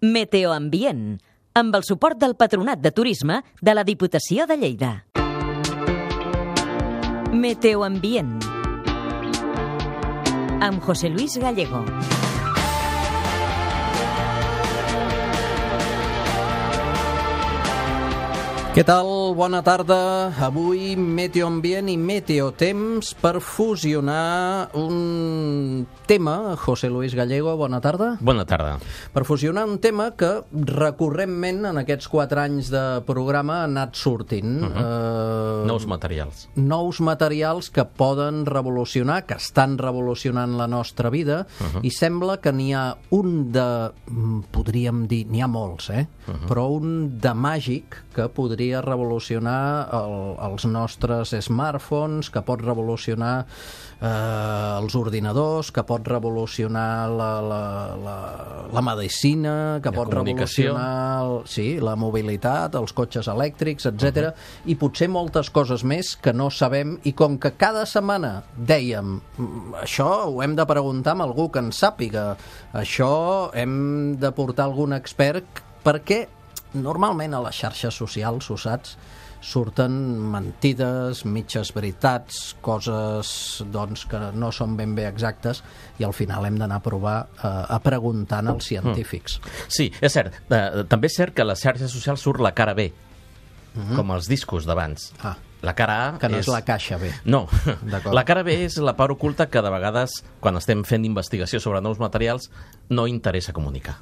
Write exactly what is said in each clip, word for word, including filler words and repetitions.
Meteoambient, amb el suport del Patronat de Turisme de la Diputació de Lleida. Meteoambient, amb José Luis Gallego. Què tal? Bona tarda. Avui Meteoambient i Meteotemps per fusionar un tema. José Luis Gallego, bona tarda. Bona tarda. Per fusionar un tema que recurrentment en aquests quatre anys de programa ha anat sortint. Uh-huh. eh, Nous materials. Nous materials que poden revolucionar, que estan revolucionant la nostra vida, uh-huh. i sembla que n'hi ha un de, podríem dir, n'hi ha molts, eh? Uh-huh. Però un de màgic que podria revolucionar el, els nostres smartphones, que pot revolucionar eh, els ordinadors, que pot revolucionar la, la, la, la medicina, que la pot revolucionar el, sí, la mobilitat, els cotxes elèctrics, etcètera. Uh-huh. I potser moltes coses més que no sabem, i com que cada setmana dèiem això ho hem de preguntar a algú que en sàpiga, això hem de portar algun expert, perquè normalment a les xarxes socials, ho saps, surten mentides, mitges veritats, coses doncs, que no són ben bé exactes, i al final hem d'anar a provar eh, a preguntant als científics. Sí, és cert. Eh, també és cert que a les xarxes socials surt la cara B, uh-huh. com els discos d'abans. Ah, la cara A que no és... és la caixa B. No, la cara B és la part oculta que de vegades, quan estem fent investigació sobre nous materials, no interessa comunicar.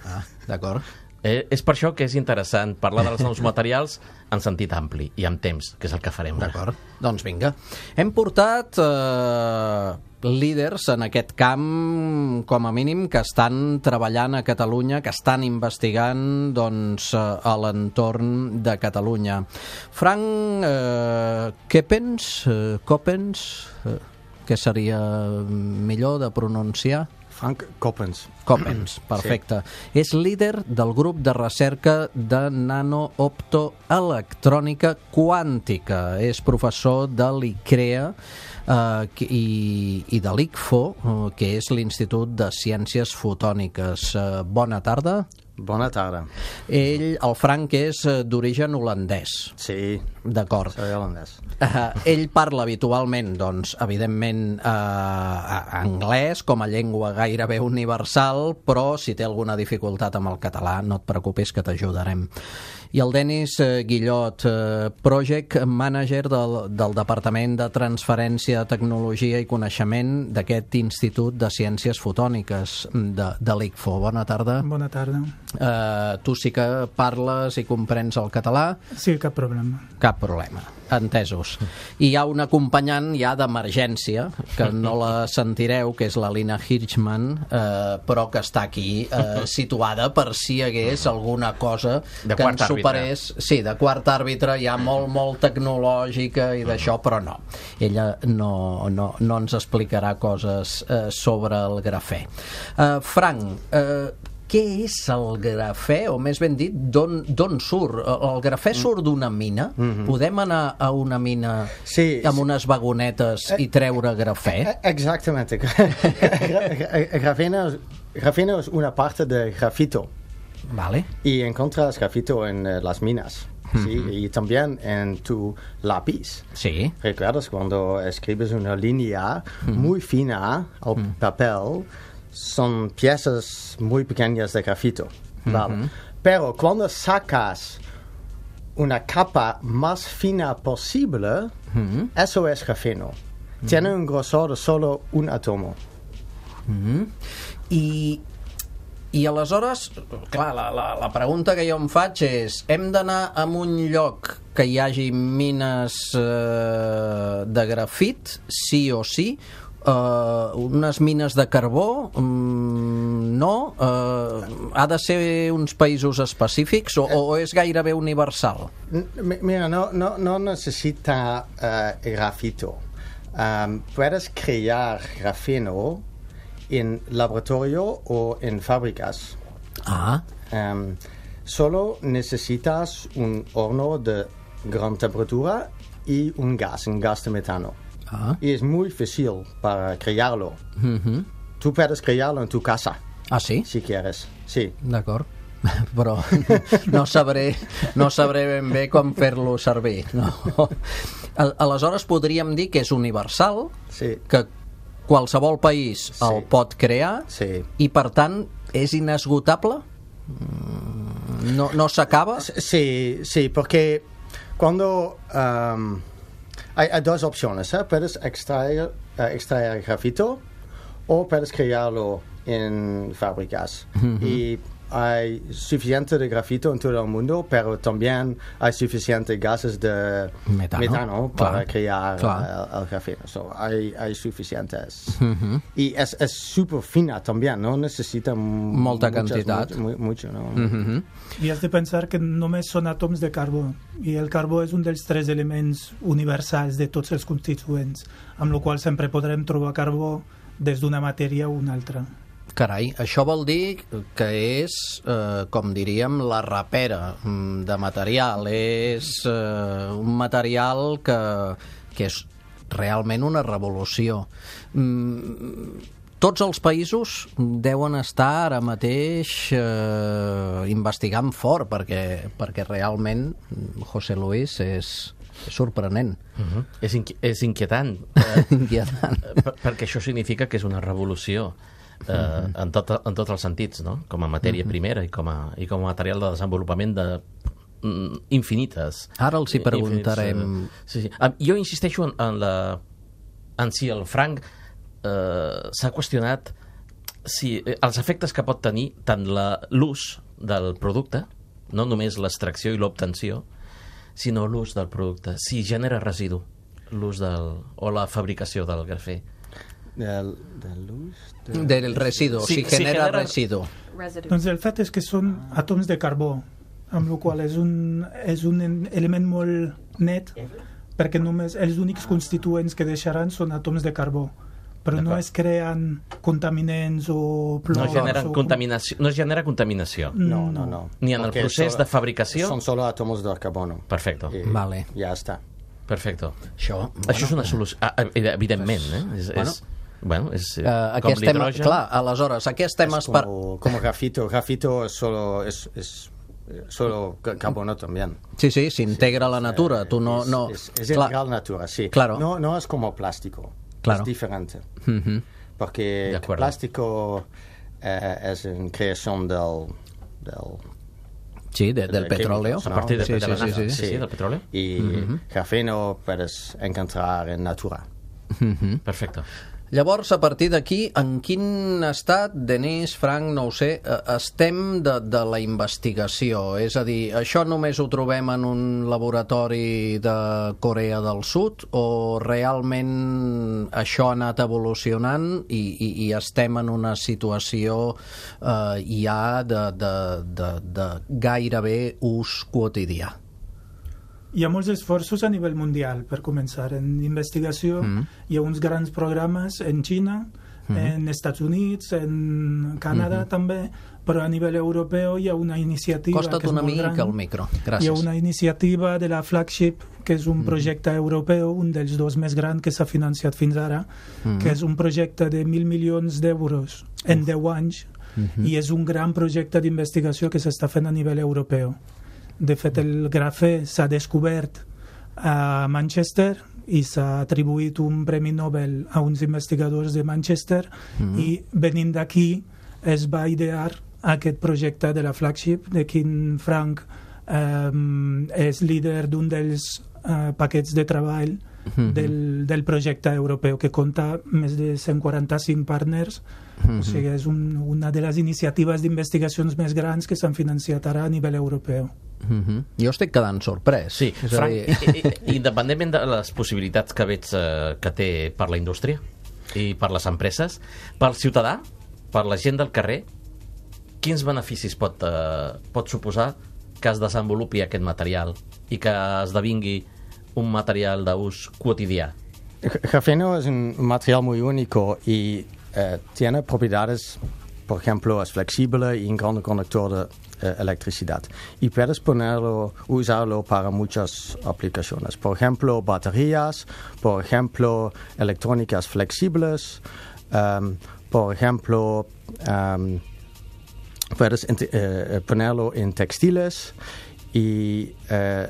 Ah, d'acord. Eh, és per això que és interessant parlar dels nous materials en sentit ampli i amb temps, que és el que farem ara. D'acord, doncs vinga. Hem portat eh, líders en aquest camp, com a mínim, que estan treballant a Catalunya, que estan investigant doncs, a l'entorn de Catalunya. Frank eh, Coppens, eh, Coppens, eh, què seria millor de pronunciar? Frank Coppens. Coppens, perfecte. Sí. És líder del grup de recerca de nanooptoelectrònica quàntica. És professor de l'ICREA eh, i, i de l'I C F O, eh, que és l'Institut de Ciències Fotòniques. Eh, bona tarda. Bona tarda. Ell, el Frank, és d'origen holandès. Sí. D'acord. Soy holandès. Uh, ell parla habitualment, doncs, evidentment, uh, anglès com a llengua gairebé universal, però si té alguna dificultat amb el català, no et preocupis que t'ajudarem. I el Denis uh, Guillot, uh, Project Manager del, del Departament de Transferència de Tecnologia i Coneixement d'aquest Institut de Ciències Fotòniques de, de l'I C F O. Bona tarda. Bona tarda. Uh, tu sí que parles i comprens el català? Sí, cap problema. Cap problema. Entesos. I hi ha un acompanyant ja d'emergència, que no la sentireu, que és la Lina Hirschman, eh, però que està aquí eh, situada per si hi hagués alguna cosa de que ens superés. Àrbitre. Sí, de quart àrbitre, ja molt, molt tecnològica i d'això, però no. Ella no, no, no ens explicarà coses eh, sobre el grafè. Eh, Frank, eh, què és el grafè, o més ben dit, d'on surt? El grafè surt d'una mina? Mm-hmm. Podem anar a una mina sí, amb unes vagonetes i treure grafè? Exactamente. Grafeno, grafeno es una parte de grafito. Vale. Y encuentras grafito en uh, las minas. ¿Sí? Mm-hmm. Y también en tu lápiz. Sí. ¿Recuerdas cuando escribes una línea mm-hmm. muy fina al mm-hmm. papel? Son piezas muy pequeñas de grafito, ¿vale? Uh-huh. Pero cuando sacas una capa más fina posible, uh-huh. eso es grafeno. Uh-huh. Tiene un grosor de solo un átomo. Uh-huh. I, I aleshores, clar, la, la, la pregunta que jo em faig és, hem d'anar a un lloc que hi hagi mines eh, de grafit, sí o sí, Uh, unes mines de carbó, um, no? Uh, ha de ser uns països específics o, o és gairebé universal? Mira, no, no, no necesita uh, grafito. Um, puedes crear grafeno en laboratorio o en fábricas. Ah. Um, solo necesitas un horno de gran temperatura y un gas, un gas de metano. Ah. Y es muy fácil para crearlo. Uh-huh. Tú puedes crearlo en tu casa. Ah, sí? Si quieres, sí. D'acord. però no sabré, no sabré ben bé com fer-lo servir. No. Aleshores podríem dir que és universal, sí. que qualsevol país sí. el pot crear sí. i per tant és inesgotable? No, no s'acaba? Sí, sí, porque cuando um, hay, hay dos opciones, ¿eh? Puedes extraer, uh, extraer grafito o puedes crearlo en fábricas. Uh-huh. Y hay suficiente de grafito en todo el mundo, pero también hay suficientes gases de metano, metano para clar, crear clar. El, el grafeno. So, hay, hay suficientes. Uh-huh. Y es, es súper fina también, no necesita molta muchas, quantitat. Mucho, mucho, ¿no? Uh-huh. I has de pensar que només són àtoms de carbó, i el carbó és un dels tres elements universals de tots els constituents, amb la qual sempre podrem trobar carbó des d'una matèria a una altra. Carai, això vol dir que és, eh, com diríem, la rapera de material. És eh, un material que, que és realment una revolució. Mm, tots els països deuen estar ara mateix eh, investigant fort, perquè, perquè realment, José Luis, és, és sorprenent. Uh-huh. És, inqui és inquietant. inquietant. Per perquè això significa que és una revolució. Uh, uh-huh. en, tot, en tots els sentits, no? Com a matèria uh-huh. primera i com a, i com a material de desenvolupament de mm, infinites. Ara els hi preguntarem. Infinites, uh, sí, sí. Uh, jo insisteixo en, en la en si el franc uh, s'ha qüestionat si eh, els efectes que pot tenir tant l'ús del producte, no només l'extracció i l'obtenció, sinó l'ús del producte, si genera residu l'ús del, o la fabricació del grafè. Del, del, ús, del... del residu, sí, si genera, si genera residu. Doncs el fet és que són àtoms de carbó, amb la qual és un, és un element molt net, perquè només els únics constituents que deixaran són àtoms de carbó, però no es creen contaminants o plors. No genera, o... contaminació, no genera contaminació. No, no, no. Ni en el Porque procés solo, de fabricació. Son solo átomos de carbono. Perfecto. Y vale. Ya está. Perfecto. Això, bueno, Això és una solució, ah, evidentment, eh? És, bueno, és, bueno, és uh, com l'hidrogen. Clar, aleshores, aquí estem... Es como, como grafito. Grafito es solo... Es, es, solo carbono también. Sí, sí, s'integra a la natura. Eh, Tu no, es, no... es, es integral la natura, sí. Claro. No, no es como plástico. Claro. Es diferente. Uh-huh. Porque el plástico eh, es en creación del... del Sí, de, del petróleo. A partir de, sí, de sí, la sí, nafta, sí, sí, sí, del petróleo. Y Uh-huh. grafeno puedes encontrar en natura. Uh-huh. Perfecte. Llavors, a partir d'aquí, en quin estat, Denis, Frank, no ho sé, estem de, de la investigació? És a dir, això només ho trobem en un laboratori de Corea del Sud o realment això ha anat evolucionant i, i, i estem en una situació eh, ja de, de, de, de gairebé ús quotidià? Hi ha molts esforços a nivell mundial, per començar. En investigació mm. hi ha uns grans programes en Xina, mm. en Estats Units, en Canadà mm-hmm. també, però a nivell europeu hi ha una iniciativa Costa't que és una molt mica gran. al micro, gràcies. Hi ha una iniciativa de la Flagship, que és un projecte mm. europeu, un dels dos més grans que s'ha financiat fins ara, mm. que és un projecte de mil milions d'euros en deu anys, mm-hmm. i és un gran projecte d'investigació que s'està fent a nivell europeu. De fet, el grafè s'ha descobert a Manchester i s'ha atribuït un premi Nobel a uns investigadors de Manchester mm-hmm. i venint d'aquí es va idear aquest projecte de la Flagship, de quin Frank eh, és líder d'un dels eh, paquets de treball mm-hmm. del, del projecte europeu, que compta més de cent quaranta-cinc partners. Mm-hmm. O sigui, és un, una de les iniciatives d'investigacions més grans que s'han financiat ara a nivell europeu. Mm-hmm. Jo estic quedant sorprès. Sí, és Frank, dir... i, i, independentment de les possibilitats que veig eh, que té per la indústria i per les empreses, pel ciutadà, per la gent del carrer, quins beneficis pot, eh, pot suposar que es desenvolupi aquest material i que esdevingui un material d'ús quotidià? Grafeno es un material muy único y eh, tiene propiedades, por ejemplo, es flexible y un gran conductor de eh, electricidad. Y puedes ponerlo, usarlo para muchas aplicaciones. Por ejemplo, baterías, por ejemplo, electrónicas flexibles, um, por ejemplo, um, puedes eh, ponerlo en textiles y eh,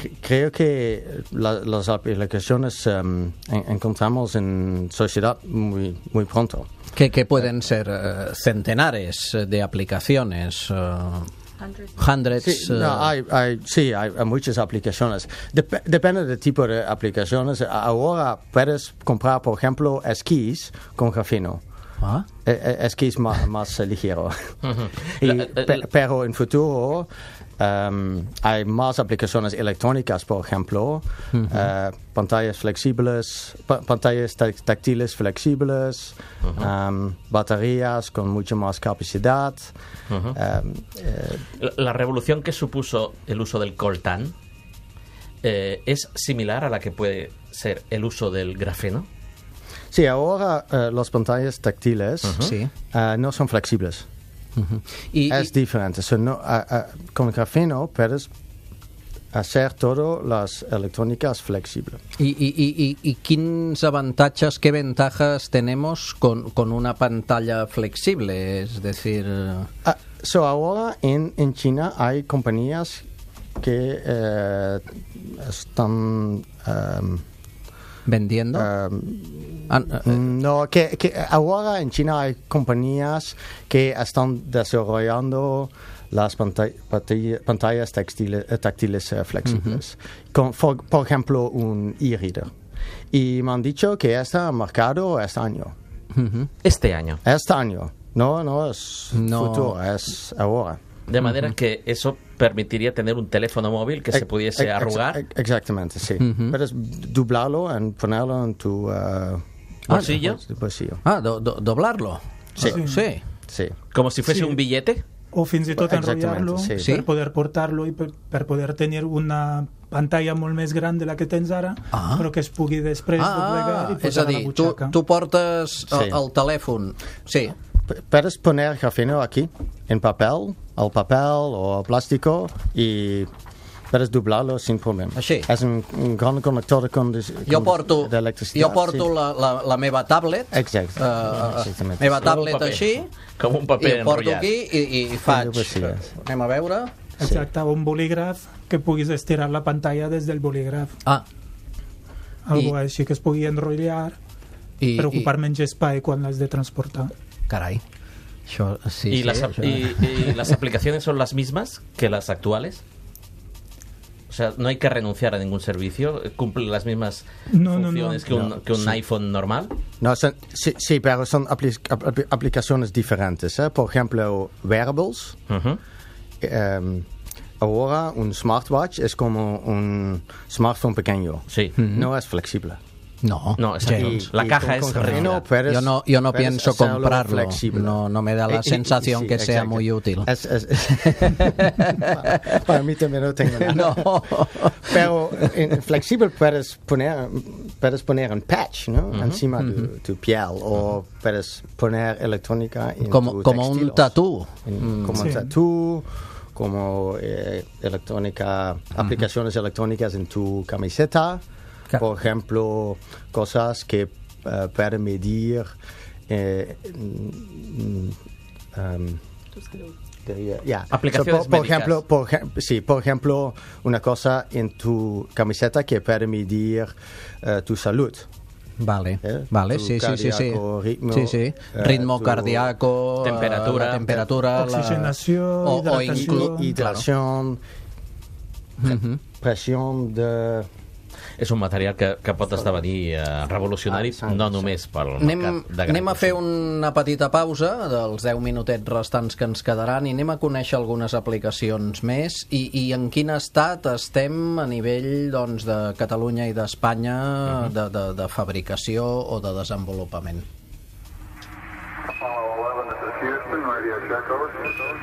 c- creo que la, las aplicaciones um, en, encontramos en sociedad muy, muy pronto. Que, que pueden ser uh, centenares de aplicaciones, uh, hundreds. Sí, uh, no, hay, hay, sí, hay, hay muchas aplicaciones. Dep- depende del tipo de aplicaciones. Ahora puedes comprar, por ejemplo, esquís con grafeno. ah, Eh, eh, esquís más, más ligero. Ujú. Y, La- la- pe- pero en futuro um, hay más aplicaciones electrónicas, por ejemplo, uh, pantallas flexibles, pa- pantallas tac- táctiles flexibles, um, baterías con mucha más capacidad. Ujú. um, eh, La, la revolución que supuso el uso del coltán eh, es similar a la que puede ser el uso del grafeno. sí, ahora uh, las pantallas táctiles sí. uh, no son flexibles. Uh-huh. I, Es i, diferente. So, no, uh, uh, con grafeno puedes hacer todas las electrónicas flexibles. i, i, i, i quins avantatges, qué ventajas tenemos con, con una pantalla flexible? Es decir, Uh, so ahora en, en China hay compañías que eh, están um, vendiendo. um, Ah, eh, no que, que ahora en China hay compañías que están desarrollando las pantall- pantall- pantallas textiles, eh, táctiles eh, flexibles. Con, for- por ejemplo, un e-reader. Y me han dicho que está marcado este año. ujú. Este año. Este año. No, no es No. futuro, es ahora. De manera que eso permitiría tener un teléfono móvil que se Ex- pudiese ex- arrugar. ex- Exactamente, sí. Ujú. Puedes doblarlo y ponerlo en tu uh, ¿Bolsillo? bol- bolsillo. Ah, do, do, doblarlo. Sí. Ah, sí. Sí. Como si fuese Sí. un billete. O fins i tot Exactament, enrotllar-lo sí. Sí? per poder portar-lo i per, per poder tenir una pantalla molt més gran de la que tens ara, Ah. però que es pugui després doblegar Ah, i és posar a a la dir, tu, butxaca. uh, tu portes el, Sí. el telèfon. Sí. P- Puedes poner grafeno aquí, en papel, al papel o al plástico, y puedes doblarlo sin problema. Així. Es un, un gran conector de, con- Jo porto, de electricidad. jo porto sí. la, la, la meva tablet, Exacte. uh, Exactament. meva Com un tablet paper. així, Com un i paper ho porto enrotllat. aquí i, i faig. Sí. Anem a veure. Exacte, un bolígraf que puguis estirar la pantalla des del bolígraf. Ah, Algo I- així que es pugui enrotllar i, per ocupar i menys espai quan l'has de transportar. carai. Això, sí, ¿Y, sí, las, això... y- y las aplicaciones son las mismas que las actuales? O sea, no hay que renunciar a ningún servicio. Cumple las mismas No, no, funciones no. que un, No, que un sí. iPhone normal. No, son, sí, sí, pero son apli- apli- aplicaciones diferentes. ¿eh? Por ejemplo, wearables. Ujú. Um, ahora un smartwatch es como un smartphone pequeño. Sí. No es flexible. No, No, exacto. gens. La Y caja con- es con grafeno rígida. puedes- Yo no, yo no puedes pienso hacerlo comprarlo. flexible. No, no me da la Eh, y- sensación sí, que sea exacto. muy útil. Es- es- para, para mí también no tengo nada. No. Pero en flexible puedes poner, puedes poner un patch, ¿no? Encima de tu piel. O puedes poner electrónica en Como, tu como un textilos. tatú. En- como Sí. un tatú, como eh, electrónica, aplicaciones electrónicas en tu camiseta. Ca- Por ejemplo, cosas que eh, pueden medir eh, mm, um, diría- ya. Aplicaciones So, por, por médicas. ejemplo, por, ejem- sí, por ejemplo, una cosa en tu camiseta que puede medir eh, tu salud. Vale, ¿eh? vale, Tu sí, sí, sí, sí. cardíaco, ritmo, Sí, sí. eh, Ritmo tu cardíaco, eh, temperatura, la temperatura, la- Oxigenació, o, o hidratació. inclu- hidratación, Mhm. presión de... És un material que, que pot esdevenir eh, revolucionari, Ah, sí, no sí. només pel Anem, mercat de gran anem a fer consum. una petita pausa dels deu minutets restants que ens quedaran i anem a conèixer algunes aplicacions més i, i en quin estat estem a nivell doncs, de Catalunya i d'Espanya de, de, de fabricació o de desenvolupament.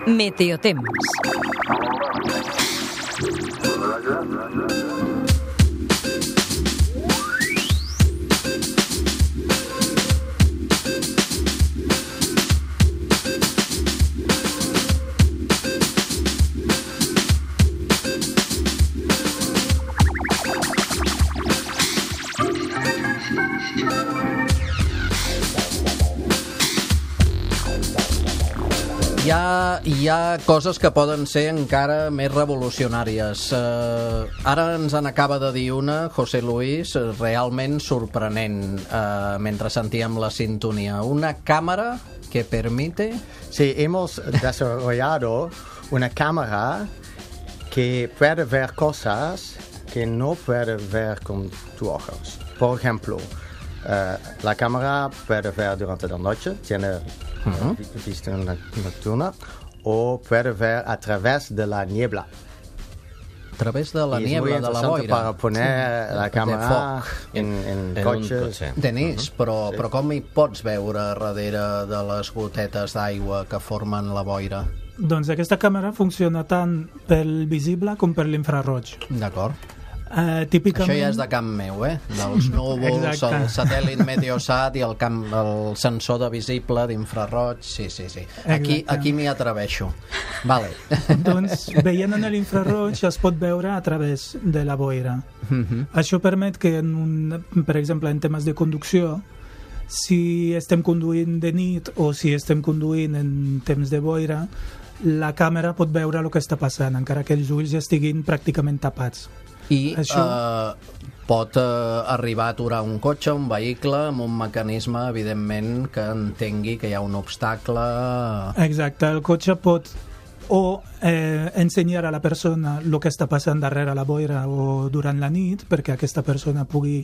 Meteotemps. Hi ha, hi ha coses que poden ser encara més revolucionàries. Uh, ara ens en acaba de dir una, José Luis, realment sorprenent, uh, mentre sentíem la sintonia. Una càmera que permite... Sí, hemos desarrollado una cámara que puede ver cosas que no puede ver con tus ojos. Por ejemplo, uh, la cámara puede ver durante la noche, tiene uh-huh. vista nocturna, o puede ver a través de la niebla. A través de la y niebla, de la boira. Para poner sí. la cámara en, en, en cotxes. Denis, uh-huh. però, sí. però com hi pots veure darrere de les gotetes d'aigua que formen la boira? Doncs aquesta càmera funciona tant pel visible com per l'infraroig. D'acord. Uh, típicament... Això ja és de camp meu, eh? Dels núvols, el satèl·lit Meteosat i el, camp, el sensor de visible d'infraroig. Sí, sí, sí. Aquí, aquí m'hi atreveixo. Vale. Doncs veient en l'infraroig es pot veure a través de la boira. Uh-huh. Això permet que, en un, per exemple, en temes de conducció, si estem conduint de nit o si estem conduint en temps de boira, la càmera pot veure el que està passant, encara que els ulls estiguin pràcticament tapats. I Això... eh, pot eh, arribar a aturar un cotxe, un vehicle, amb un mecanisme, evidentment, que entengui que hi ha un obstacle... Exacte, el cotxe pot o eh, ensenyar a la persona el que està passant darrere la boira o durant la nit, perquè aquesta persona pugui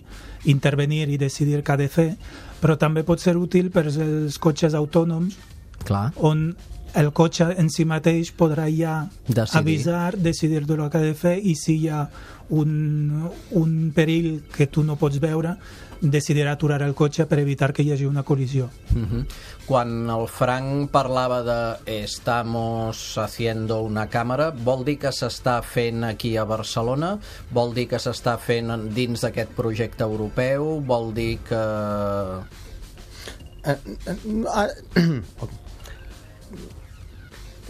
intervenir i decidir què ha de fer, però també pot ser útil per als cotxes autònoms, Clar. on el cotxe en si mateix podrà ja decidir. avisar, decidir el que ha de fer, i si hi ha un, un perill que tu no pots veure, decidirà aturar el cotxe per evitar que hi hagi una col·lisió. Uh-huh. Quan el Frank parlava de estamos haciendo una càmera, vol dir que s'està fent aquí a Barcelona? Vol dir que s'està fent dins d'aquest projecte europeu? Vol dir que... Uh, uh, uh,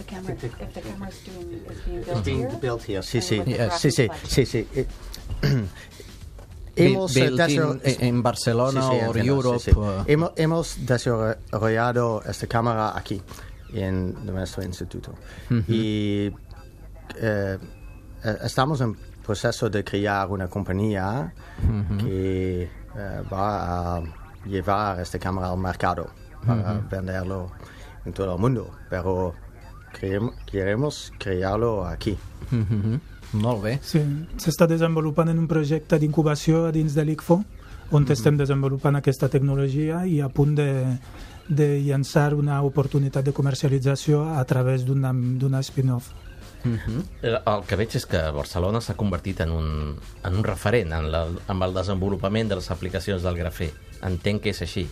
The camera, if the camera is being, is being built It's being here? built here, sí, and sí, with the yeah, graphic sí, sí, flash. sí, sí. It, hemos Built desarrollado- in, en Barcelona Sí, sí, o entiendo, Europe. sí, sí. uh, Hemos, hemos desarrollado esta cámara aquí, en nuestro instituto. Uh-huh. Y eh, eh, estamos en proceso de crear una compañía uh-huh. que eh, va a llevar esta cámara al mercado para Uh-huh. venderlo en todo el mundo. Pero queremos, queremos crearlo aquí. uh-huh. Molt bé. Sí, s'està desenvolupant en un projecte d'incubació a dins de l'I C F O, on mm-hmm. estem desenvolupant aquesta tecnologia i a punt de, de llançar una oportunitat de comercialització a través d'una, d'una spin-off. Uh-huh. El que veig és que Barcelona s'ha convertit en un, en un referent en, la, en el desenvolupament de les aplicacions del grafè. Entenc que és així.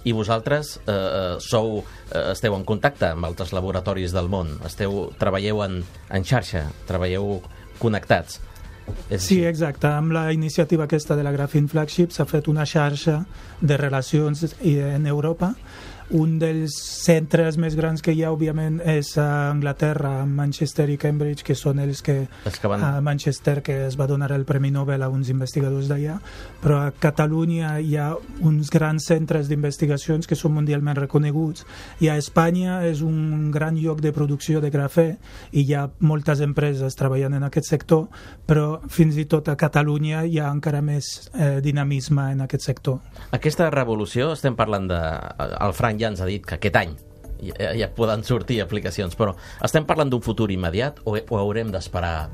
I vosaltres eh, sou, eh, esteu en contacte amb altres laboratoris del món, esteu, treballeu en, en xarxa, treballeu connectats. És Sí, així? exacte. Amb la iniciativa aquesta de la Graphene Flagship s'ha fet una xarxa de relacions en Europa. Un dels centres més grans que hi ha, òbviament, és a Anglaterra, a Manchester i Cambridge, que són els que, Els que van- a Manchester, que es va donar el Premi Nobel a uns investigadors d'allà, però a Catalunya hi ha uns grans centres d'investigacions que són mundialment reconeguts, i a Espanya és un gran lloc de producció de grafè i hi ha moltes empreses treballant en aquest sector, però fins i tot a Catalunya hi ha encara més eh, dinamisme en aquest sector. Aquesta revolució, estem parlant de... El Frank ja ens ha dit que aquest any ja, ja poden sortir aplicacions, però estem parlant d'un futur immediat o, o haurem d'esperar?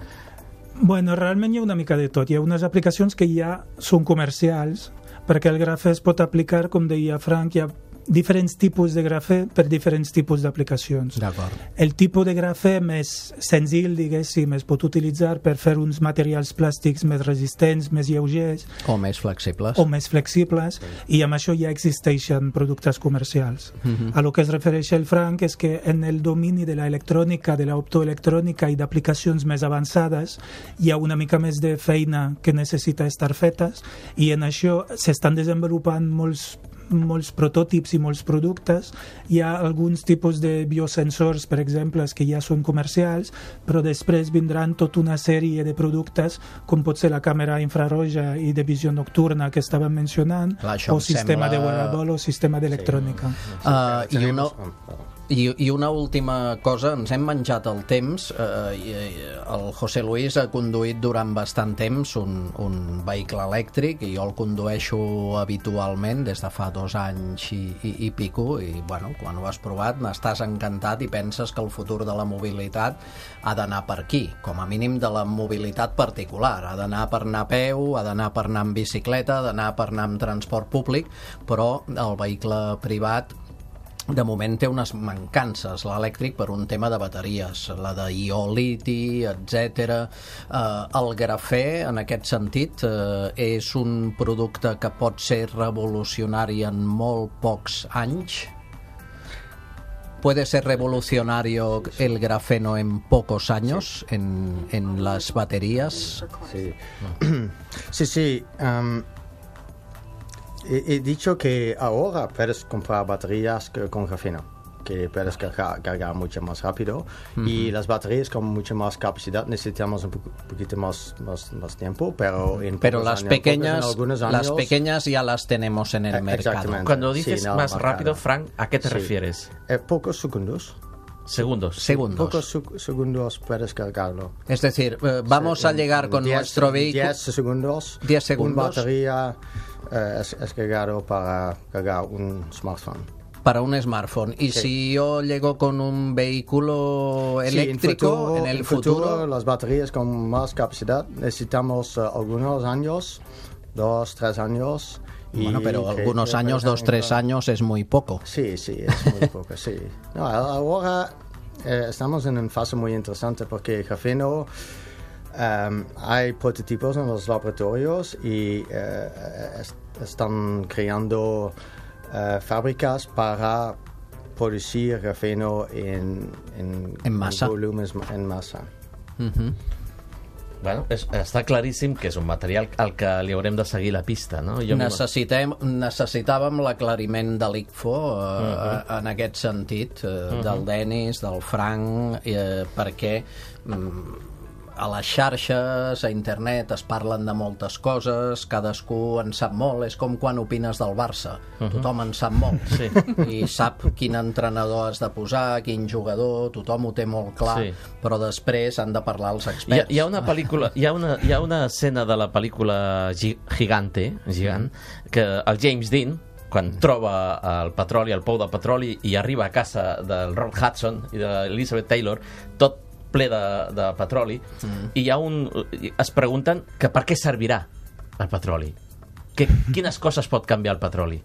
Bueno, realment hi ha una mica de tot. Hi ha unes aplicacions que ja són comercials, perquè el grafè es pot aplicar, com deia Frank, hi ha diferents tipus de grafè per diferents tipus d'aplicacions. D'acord. El tipus de grafè més senzill, diguéssim, es pot utilitzar per fer uns materials plàstics més resistents, més lleugers O més flexibles. o més flexibles, i amb això ja existeixen productes comercials. Mhm. A lo que es refereix el Frank és que en el domini de l'electrònica, de l'optoelectrònica i d'aplicacions més avançades hi ha una mica més de feina que necessita estar fetes, i en això s'estan desenvolupant molts molts prototipis i molts productes. Hi ha alguns tipus de biosensors, per exemple, que ja són comercials, però després vindran tota una sèrie de productes, com pot ser la càmera infraroja i de visió nocturna que estàvem mencionant, Clar, això o em sistema sembla- de wearable o sistema d'electrònica. Uh, I una, I, I una última cosa, ens hem menjat el temps. Eh, el José Luis ha conduït durant bastant temps un, un vehicle elèctric i jo el condueixo habitualment des de fa dos anys i, i, i pico, i bueno, quan ho has provat n'estàs encantat i penses que el futur de la mobilitat ha d'anar per aquí, com a mínim de la mobilitat particular, ha d'anar per anar a peu, ha d'anar per anar amb bicicleta, ha d'anar per anar amb transport públic, però el vehicle privat de moment té unes mancances, l'elèctric, per un tema de bateries, la de ió liti, etcètera. Eh, el grafè, en aquest sentit, eh, és un producte que pot ser revolucionari en molt pocs anys. ¿Puede ser revolucionario el grafeno en pocos años sí. en, en las baterías? Sí, sí, sí. Um, he, he dicho que ahora puedes comprar baterías que, con grafeno, que puedes cargar, cargar mucho más rápido. Uh-huh. Y las baterías con mucha más capacidad necesitamos un poquito más, más, más tiempo, pero en pero las años, pequeñas años, las pequeñas ya las tenemos en el eh, mercado. Cuando dices sí, no, más más rápido, caro. Frank, ¿a qué te sí. refieres? Eh, pocos segundos. Segundos. Segundos. Pocos su- segundos puedes cargarlo. Es decir, eh, vamos sí, a llegar con diez, nuestro vehículo. diez segundos. diez segundos. Una batería eh, es, es cargado para cargar un smartphone. Para un smartphone. Y sí. si yo llego con un vehículo eléctrico, sí, en, futuro, en el en futuro, futuro, las baterías con más capacidad necesitamos uh, algunos años, dos, tres años. Y bueno, pero que, algunos que años, dos, tres claro. años es muy poco. Sí, sí, es muy poco, sí. No, ahora eh, estamos en una fase muy interesante porque el grafeno, um, hay prototipos en los laboratorios y eh, est- están creando uh, fábricas para producir grafeno en, en, en masa. En volúmenes en masa. Uh-huh. Bueno, és, està claríssim que és un material al que li haurem de seguir la pista, no? Jo Necessitem, necessitàvem l'aclariment de l'I C F O eh, Uh-huh. en aquest sentit, eh, Uh-huh. del Denis, del Frank, eh, perquè mm, a les xarxes, a internet, es parlen de moltes coses, cadascú en sap molt, és com quan opines del Barça, Uh-huh. tothom en sap molt, Sí. i sap quin entrenador has de posar, quin jugador, tothom ho té molt clar, Sí. però després han de parlar els Hi ha, experts. hi ha una pel·lícula, hi ha una, hi ha una escena de la pel·lícula Gi- Gigante, Gigant, que el James Dean, quan troba el petroli, el pou de petroli, i arriba a casa del Rock Hudson i de Elizabeth Taylor, tot ple de, de petroli, mm. i hi ha un, es pregunten que per què servirà el petroli, que, quines coses pot canviar el petroli.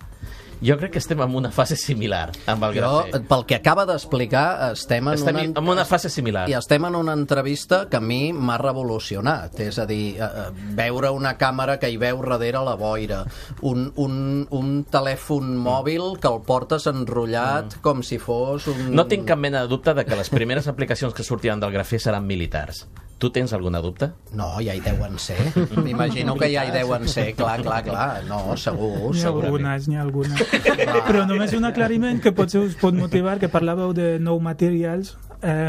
Jo crec que estem en una fase similar amb el Jo, grafè. pel que acaba d'explicar, estem, en, Estem una, en una fase similar. i estem en una entrevista que a mi m'ha revolucionat, és a dir, eh, veure una càmera que hi veu darrere la boira, un, un, un telèfon mòbil que el portes enrotllat mm. com si fos un... No tinc cap mena de dubte de que les primeres aplicacions que sortiran del grafè seran militars. Tu tens alguna dubte? No, ja hi deuen ser. M'imagino que ja hi deuen ser, clar, clar, clar. No, segur, N'hi ha segur. algunes, n'hi ha algunes. Però només un aclariment que potser us pot motivar, que parlàveu de nou materials. Eh,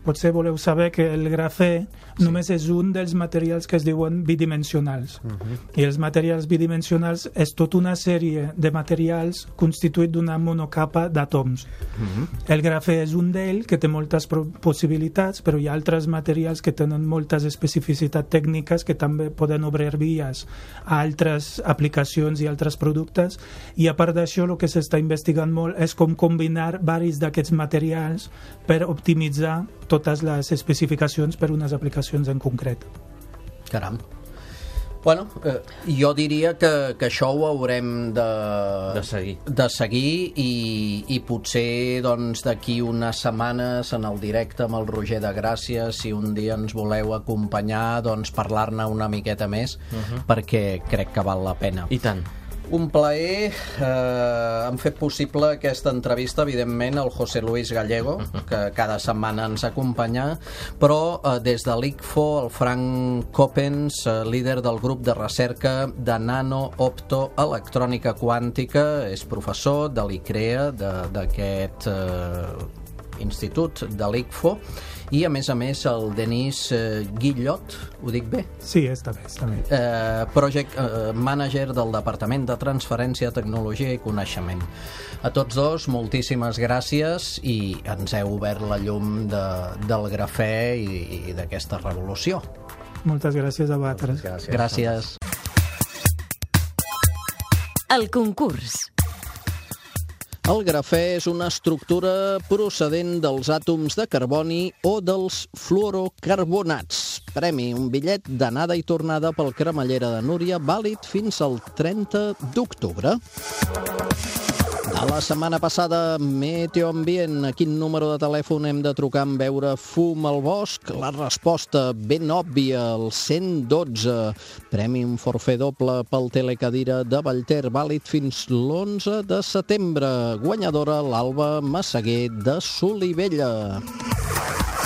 potser voleu saber que el grafè sí. només és un dels materials que es diuen bidimensionals. Uh-huh. I els materials bidimensionals és tota una sèrie de materials constituït d'una monocapa d'àtoms. Uh-huh. El grafè és un d'ells que té moltes possibilitats, però hi ha altres materials que tenen moltes especificitats tècniques que també poden obrir vies a altres aplicacions i altres productes, i a part d'això el que s'està investigant molt és com combinar varis d'aquests materials per optimitzar totes les especificacions per unes aplicacions en concret. Caram. Bueno, eh, jo diria que, que això ho haurem de, De seguir. de seguir i, i potser doncs, d'aquí unes setmanes en el directe amb el Roger de Gràcia, si un dia ens voleu acompanyar, doncs parlar-ne una miqueta més, uh-huh. perquè crec que val la pena. I tant. Un plaer, eh, han fet possible aquesta entrevista, evidentment, el José Luis Gallego, que cada setmana ens acompanya, però eh, des de l'I C F O, el Frank Coppens, eh, líder del grup de recerca de nano-optoelectrònica quàntica, és professor de l'I C R E A, d'aquest eh, institut de l'I C F O, I, a més a més, el Denis eh, Guillot, ho dic bé? Sí, està bé, està bé. Eh, project eh, Manager del Departament de Transferència, Tecnologia i Coneixement. A tots dos, moltíssimes gràcies i ens heu obert la llum de, del grafè i, i d'aquesta revolució. Moltes gràcies a vosaltres. Gràcies. Gràcies. El concurs. El grafè és una estructura procedent dels àtoms de carboni o dels fluorocarbonats. Premi, un bitllet d'anada i tornada pel Cremallera de Núria, vàlid fins al trenta d'octubre. A la setmana passada, Meteoambient, a quin número de telèfon hem de trucar en veure fum al bosc? La resposta, ben òbvia, el cent dotze. Premi un forfait doble pel telecadira de Vallter, vàlid fins l'onze de setembre. Guanyadora, l'Alba Massaguer de Solivella.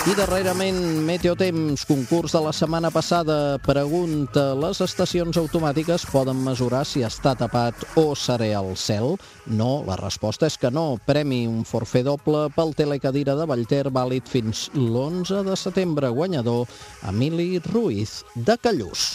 I darrerament, Meteotemps, concurs de la setmana passada, pregunta, les estacions automàtiques poden mesurar si està tapat o serè al cel? No, la resposta és que no. Premi, un forfait doble pel telecadira de Vallter, vàlid fins l'onze de setembre. Guanyador, Emili Ruiz, de Callús.